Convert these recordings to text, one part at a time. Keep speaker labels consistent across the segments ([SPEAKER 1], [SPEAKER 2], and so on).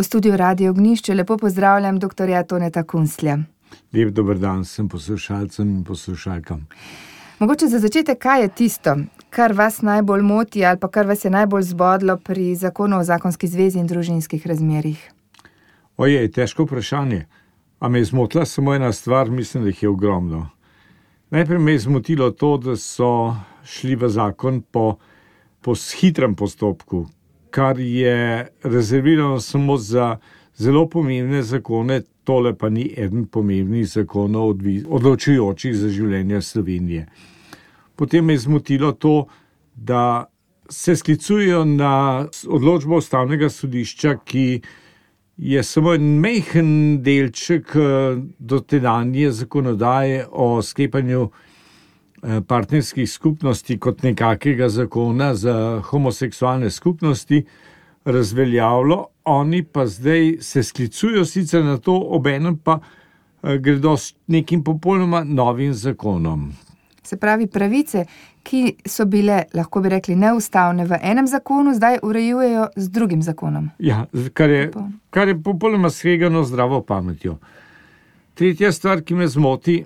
[SPEAKER 1] V studiu Radio Ognjišče lepo pozdravljam dr. Toneta Kunslja.
[SPEAKER 2] Lep dober dan vsem poslušalcem in poslušalkam.
[SPEAKER 1] Mogoče za začetek, kaj je tisto, kar vas najbolj moti ali pa kar vas je najbolj zbodlo pri zakonu o zakonski zvezi in družinskih razmerjih?
[SPEAKER 2] Ojej, težko vprašanje. A me je zmotila samo ena stvar, mislim, da jih je ogromno. Najprej me je zmotilo to, da so šli v zakon po hitrem postopku, kar je rezervirano samo za zelo pomembne zakone, tole pa ni eden pomembnih zakonov odločujočih za življenje Slovenije. Potem me je zmotilo to, da se sklicujejo na odločbo Ustavnega sodišča, ki je samo en majhen delček dotedanje zakonodaje o sklepanju partnerskih skupnosti kot nekakega zakona za homoseksualne skupnosti razveljavilo, oni pa zdaj se sklicujejo sicer na to, obenem pa gredo s nekim popolnoma novim zakonom.
[SPEAKER 1] Se pravi, pravice, ki so bile, lahko bi rekli, neustavne v enem zakonu, zdaj urejujejo z drugim zakonom.
[SPEAKER 2] Ja, kar je popolnoma skregano zdravo pametjo. Tretja stvar, ki me zmoti,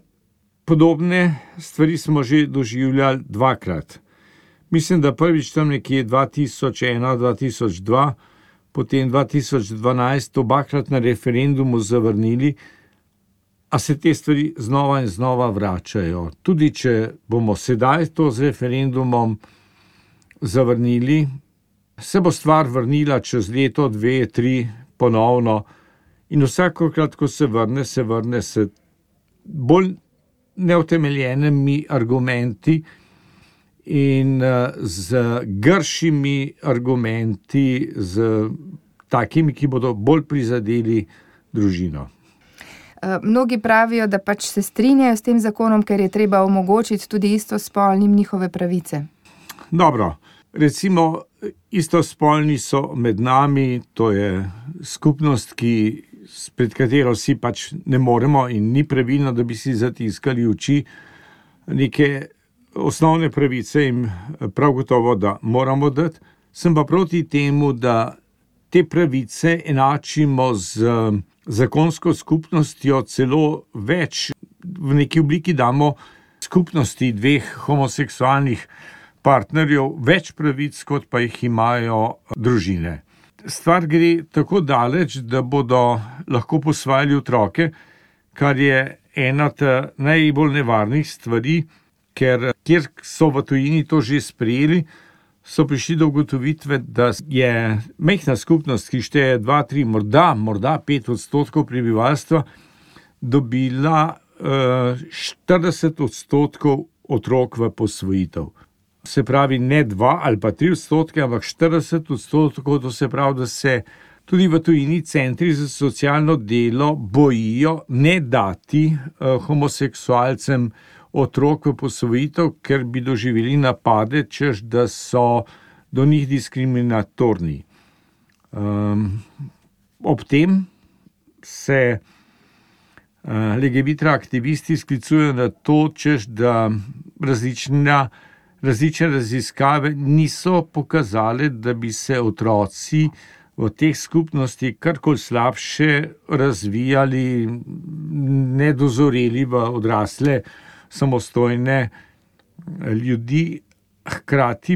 [SPEAKER 2] podobne stvari smo že doživljali dvakrat. Mislim, da prvič tam nekje 2001-2002, potem 2012 obakrat na referendumu zavrnili, a se te stvari znova in znova vračajo. Tudi če bomo sedaj to z referendumom zavrnili, se bo stvar vrnila čez leto, 2, 3 ponovno in vsakokrat, ko se vrne s bolj neutemeljenimi argumenti in z gršimi argumenti, z takimi, ki bodo bolj prizadeli družino.
[SPEAKER 1] Mnogi pravijo, da pač se strinjajo s tem zakonom, ker je treba omogočiti tudi istospolnim njihove pravice.
[SPEAKER 2] Dobro, recimo istospolni so med nami, to je skupnost, pred katero si pač ne moremo in ni pravilno, da bi si zatiskali oči. Neke osnovne pravice jim prav gotovo, da moramo dati. Sem pa proti temu, da te pravice enačimo z zakonsko skupnostjo, celo več v neki obliki damo skupnosti dveh homoseksualnih partnerjev več pravic, kot pa jih imajo družine. Stvar gre tako daleč, da bodo lahko posvajali otroke, kar je ena najbolj nevarnih stvari, ker kjer so v tujini to že sprejeli, so prišli do ugotovitve, da je majhna skupnost, ki šteje 2, 3, morda 5% prebivalstva, dobila 40% otrok v posvojitev. Se pravi, ne 2 ali pa 3%, ampak 40%, to se pravi, da se tudi v tujini centri za socialno delo bojijo ne dati homoseksualcem otrok v posvojitev, ker bi doživeli napade, češ da so do njih diskriminatorni. Ob tem se LGBT aktivisti sklicujejo na to, češ da različne raziskave niso pokazale, da bi se otroci v teh skupnosti karkoli slabše razvijali, nedozoreli v odrasle samostojne ljudi, hkrati